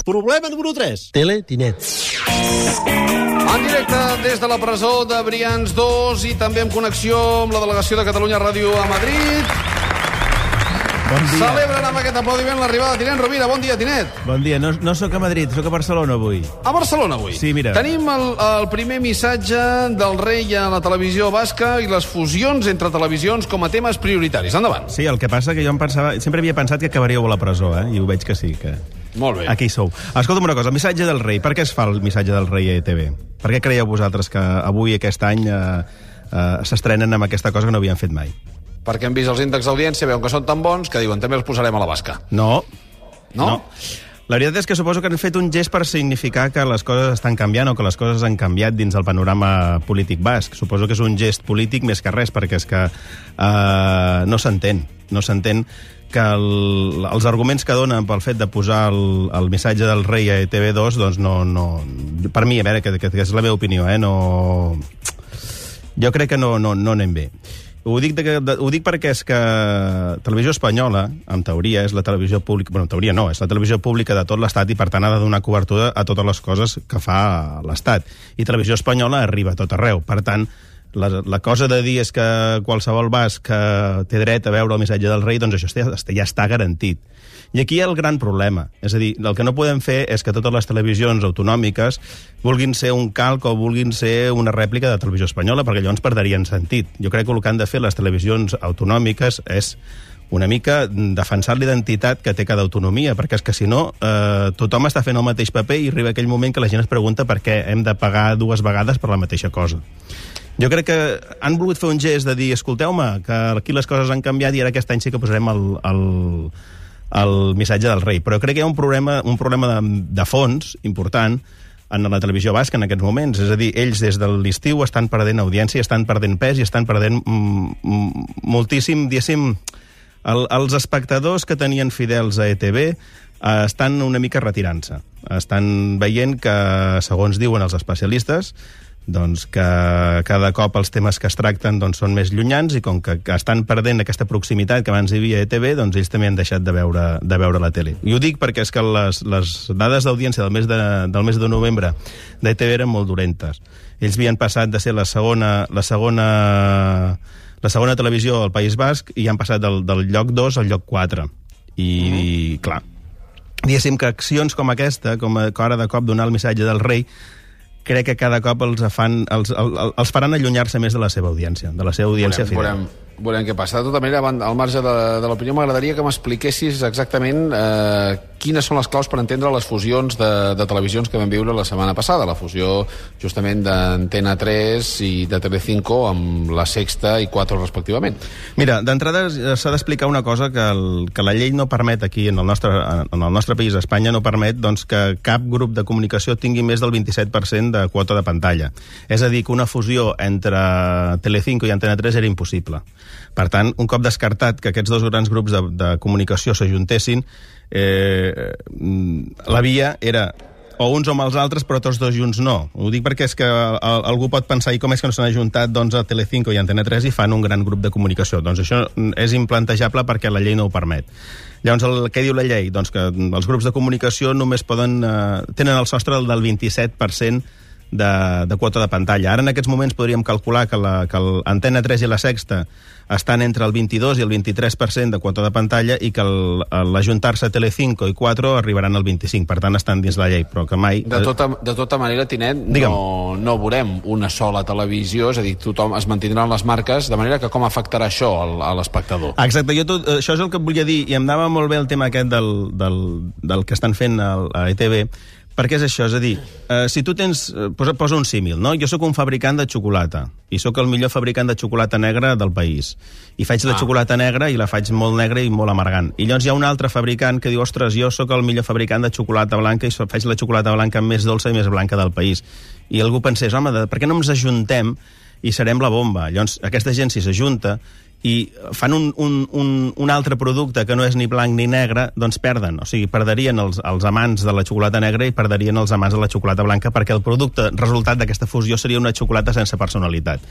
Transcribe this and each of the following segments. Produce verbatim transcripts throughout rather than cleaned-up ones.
Problema número tres. Tele Tinet. En directe des de la presó de Brians dos i també en connexió amb la delegació de Catalunya Ràdio a Madrid. Bon dia. Celebren amb aquest aplaudiment l'arribada de Tinent Rovira. Bon dia, Tinet. Bon dia. No, no sóc a Madrid, sóc a Barcelona avui. A Barcelona avui. Sí, mira. Tenim el, el primer missatge del rei a la televisió basca i les fusions entre televisions com a temes prioritaris. Endavant. Sí, el que passa que jo em pensava... Sempre havia pensat que acabaríeu a la presó, eh? I ho veig que sí, que... Molt bé. Aquí hi sou. Escolta'm una cosa, el missatge del rei. Per què es fa el missatge del rei a E T V? Per què creieu vosaltres que avui, aquest any, eh, eh, s'estrenen amb aquesta cosa que no havien fet mai? Perquè han vist els índexs d'audiència, veuen que són tan bons que diuen també els posarem a la basca. No. No? no. La veritat és que suposo que han fet un gest per significar que les coses estan canviant o que les coses han canviat dins el panorama polític basc. Suposo que és un gest polític més que res, perquè és que eh, no s'entén. No s'entén que el, els arguments que donen pel fet de posar el, el missatge del rei a E T V dos, doncs no... no per mi, a veure, que, que, que és la meva opinió, eh? No... Jo crec que no, no, no anem bé. Ho dic, de, de, ho dic perquè és que Televisió Espanyola, en teoria, és la televisió pública... Bueno, en teoria no, és la televisió pública de tot l'Estat i, per tant, ha de donar cobertura a totes les coses que fa l'Estat. I Televisió Espanyola arriba a tot arreu. Per tant, la, la cosa de dir és que qualsevol basc que té dret a veure el missatge del rei, doncs això ja està garantit. I aquí hi ha el gran problema. És a dir, el que no podem fer és que totes les televisions autonòmiques vulguin ser un calc o vulguin ser una rèplica de Televisió Espanyola, perquè llavors perderien sentit. Jo crec que el que han de fer les televisions autonòmiques és una mica defensar l'identitat que té cada autonomia, perquè és que si no, eh, tothom està fent el mateix paper i arriba aquell moment que la gent es pregunta per què hem de pagar dues vegades per la mateixa cosa. Jo crec que han volgut fer un gest de dir, escolteu-me, que aquí les coses han canviat i ara aquest any sí que posarem el... el el missatge del rei. Però crec que hi ha un problema, un problema de, de fons important en la televisió basca en aquests moments. És a dir, ells des de l'estiu estan perdent audiència, estan perdent pes i estan perdent mm, moltíssim, diguéssim, el, els espectadors que tenien fidels a E T V eh, estan una mica retirant-se. Estan veient que, segons diuen els especialistes, doncs que cada cop els temes que es tracten doncs, són més llunyans i com que, que estan perdent aquesta proximitat que abans hi havia a E T V, doncs ells també han deixat de veure, de veure la tele. I ho dic perquè és que les, les dades d'audiència del, mes de, del mes de novembre d'E T V eren molt dolentes. Ells havien passat de ser la segona, la segona, la segona televisió al País Basc i han passat del, del lloc dos al lloc quatre. I, mm. i clar, diguéssim que accions com aquesta, com a, ara de cop donar el missatge del rei, crec que cada cop els, fan, els, els, els faran allunyar-se més de la seva audiència, de la seva audiència fidel. Veurem, veurem què passa. De tota manera, al marge de, de l'opinió, m'agradaria que m'expliquessis exactament eh, quines són les claus per entendre les fusions de, de televisions que vam viure la setmana passada. La fusió, justament, d'Antena tres i de Telecinco amb la Sexta i quatre, respectivament. Mira, d'entrada s'ha d'explicar una cosa que, el, que la llei no permet aquí, en el nostre, en el nostre país, Espanya, no permet doncs, que cap grup de comunicació tingui més del vint-i-set per cent de quota de pantalla. És a dir, que una fusió entre Telecinco i Antena tres era impossible. Per tant, un cop descartat que aquests dos grans grups de, de comunicació s'ajuntessin, eh, la via era o uns o amb els altres, però tots dos junts no. Ho dic perquè és que algú pot pensar i com és que no s'han ajuntat doncs, a Telecinco i Antena tres i fan un gran grup de comunicació. Doncs això és implantejable perquè la llei no ho permet. Llavors, el, què diu la llei? Doncs que els grups de comunicació només poden... Eh, tenen el sostre del vint-i-set per cent de, de quota de pantalla. Ara, en aquests moments, podríem calcular que l'Antena tres i la Sexta estan entre el vint-i-dos i el vint-i-tres per cent de quota de pantalla i que l'ajuntar-se Telecinco i quatre arribaran al vint-i-cinc. Per tant, estan dins la llei, però que mai... De tota, de tota manera, Tinet, no, no veurem una sola televisió, és a dir, tothom es mantindran les marques, de manera que com afectarà això a l'espectador? Exacte, jo tot, això és el que volia dir, i em anava molt bé el tema aquest del, del, del que estan fent a E T V, perquè és això, és a dir, eh, si tu tens... Eh, posa, posa un símil, no? Jo sóc un fabricant de xocolata, i sóc el millor fabricant de xocolata negra del país. I faig la ah. xocolata negra i la faig molt negra i molt amargant. I llavors hi ha un altre fabricant que diu, ostres, jo sóc el millor fabricant de xocolata blanca i faig la xocolata blanca més dolça i més blanca del país. I algú pensés, home, de, per què no ens ajuntem i serem la bomba? Llavors, aquesta gent, si s'ajunta i fan un, un, un, un altre producte que no és ni blanc ni negre, doncs perden. O sigui, perderien els, els amants de la xocolata negra i perderien els amants de la xocolata blanca, perquè el producte resultat d'aquesta fusió seria una xocolata sense personalitat.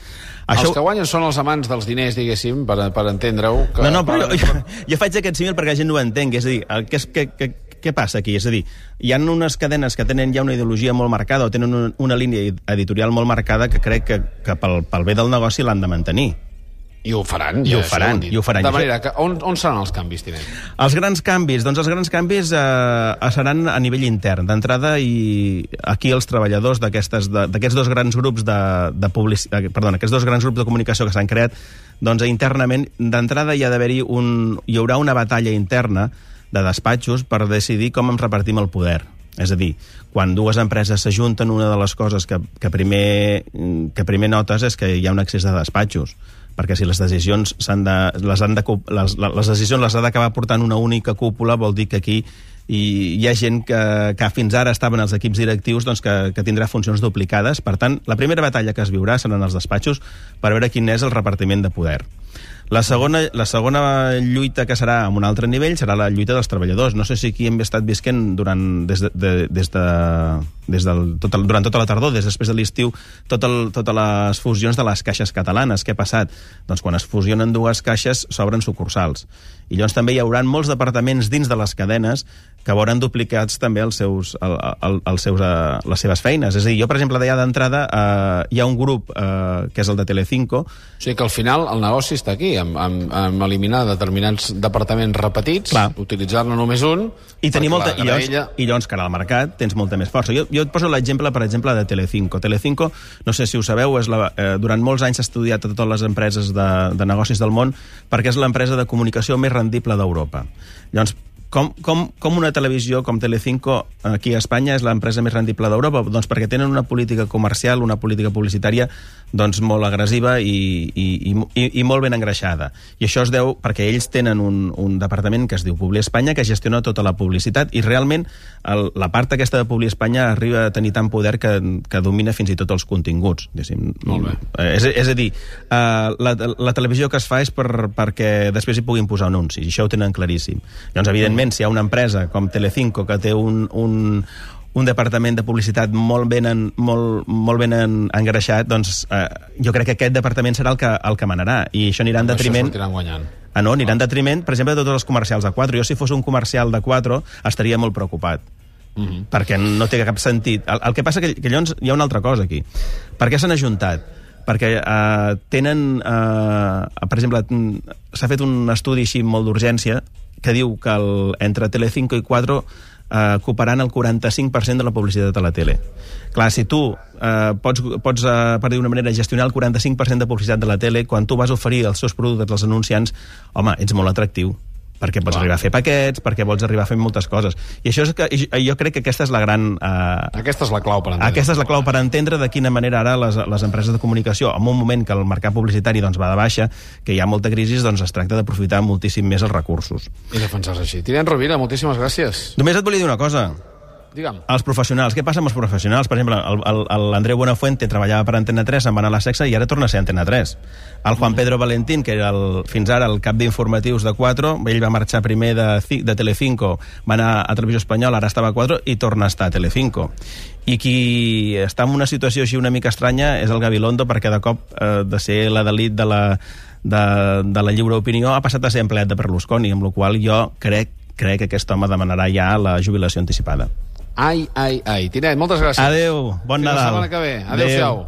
Això... Els que guanyen són els amants dels diners, diguéssim, per, per entendre-ho. Que... No, no, però jo, jo, jo faig aquest símil perquè la gent no ho entengui. És a dir, el que és, que, que, què passa aquí? És a dir, hi ha unes cadenes que tenen ja una ideologia molt marcada o tenen una, una línia editorial molt marcada que crec que, que pel, pel bé del negoci l'han de mantenir. I ho faran. I ho faran, i ho faran. De manera que on, on seran els canvis, tinent? Els grans canvis? Doncs els grans canvis eh, seran a nivell intern. D'entrada, i aquí els treballadors d'aquests dos grans grups de, de publici... Perdona, aquests dos grans grups de comunicació que s'han creat, doncs internament, d'entrada hi ha d'haver-hi un... hi haurà una batalla interna de despatxos per decidir com ens repartim el poder. És a dir, quan dues empreses s'ajunten, una de les coses que, que, primer, que primer notes és que hi ha un excés de despatxos, perquè si les decisions s'han de, les, han de, les, les decisions les ha d'acabar portant una única cúpula, vol dir que aquí hi, hi ha gent que, que fins ara estaven als equips directius, doncs que, que tindrà funcions duplicades. Per tant, la primera batalla que es viurà seran els despatxos per veure quin és el repartiment de poder. La segona, la segona lluita que serà a un altre nivell serà la lluita dels treballadors. No sé si aquí hem estat visquent durant, des de, de, des de, des del, tot el, durant tota la tardor, des després de l'estiu, tot el, totes les fusions de les caixes catalanes. Què ha passat? Doncs quan es fusionen dues caixes s'obren sucursals. I llavors també hi haurà molts departaments dins de les cadenes que veuran duplicats també els seus, el, el, els seus, uh, les seves feines. És a dir, jo, per exemple, d'allà d'entrada uh, hi ha un grup uh, que és el de Telecinco. O sigui que al final el negoci està aquí, amb, amb, amb eliminar determinats departaments repetits, utilitzar-ne només un... I, tenir molta, i, llavors, ella... I llavors, cara al mercat, tens molta més força. Jo, jo et poso l'exemple, per exemple, de Telecinco. Telecinco, no sé si ho sabeu, és la, eh, durant molts anys s'ha estudiat a totes les empreses de, de negocis del món perquè és l'empresa de comunicació més rendible d'Europa. Llavors, Com, com, com una televisió com Telecinco aquí a Espanya és l'empresa més rendible d'Europa? Doncs perquè tenen una política comercial, una política publicitària doncs molt agressiva i, i, i, i molt ben engreixada. I això es deu perquè ells tenen un, un departament que es diu Publi Espanya que gestiona tota la publicitat i realment el, la part aquesta de Publi Espanya arriba a tenir tant poder que, que domina fins i tot els continguts. Molt bé. És, és a dir, uh, la, la televisió que es fa és per, perquè després hi puguin posar anuncis, i això ho tenen claríssim. Llavors, evidentment, si hi ha una empresa com Telecinco que té un, un, un departament de publicitat molt ben, en, molt, molt ben en, engreixat, doncs eh, jo crec que aquest departament serà el que, el que manarà, i això anirà en detriment... Això sortiran guanyant. Ah, no, anirà en detriment, per exemple, de tots els comercials de quatre. Jo, si fos un comercial de quatre, estaria molt preocupat. Mm-hmm. Perquè no té cap sentit. El, el que passa que, que llavors hi ha una altra cosa aquí. Per què s'han ajuntat? Perquè eh, tenen... Eh, per exemple, s'ha fet un estudi així molt d'urgència que diu que el, entre Telecinco i quatre eh, ocuparan el quaranta-cinc per cent de la publicitat a la tele. Clar, si tu eh, pots, pots eh, per dir d'una manera, gestionar el quaranta-cinc per cent de publicitat de la tele, quan tu vas oferir els seus productes als anunciants, home, ets molt atractiu. Perquè pots Clar. arribar a fer paquets, perquè vols arribar a fer moltes coses. I això és que jo crec que aquesta és la gran... Eh, aquesta és la clau per entendre. Aquesta és la clau per entendre de quina manera ara les, les empreses de comunicació, en un moment que el mercat publicitari doncs, va de baixa, que hi ha molta crisi, doncs es tracta d'aprofitar moltíssim més els recursos. I defensar-se així. Tinent Rovira, moltíssimes gràcies. Només et volia dir una cosa. Digue'm. Els professionals. Què passa amb els professionals? Per exemple, l'Andreu Buenafuente treballava per Antena tres, se'n va anar a la Sexa i ara torna a ser Antena tres. El Juan Pedro Valentín, que era el, fins ara el cap d'informatius de quatre, ell va marxar primer de, de Telecinco, va anar a Televisió Espanyola, ara estava a quatre i torna a estar a Telecinco. I qui està en una situació així una mica estranya és el Gabilondo, perquè de cop eh, de ser la d'elit de la, de, de la lliure opinió ha passat a ser empleat de Berlusconi, amb la qual jo crec, crec que aquest home demanarà ja la jubilació anticipada. Ai, ai, ai. Tinent, moltes gràcies. Adéu, bon Fins Nadal. la setmana que ve. Adéu-siau.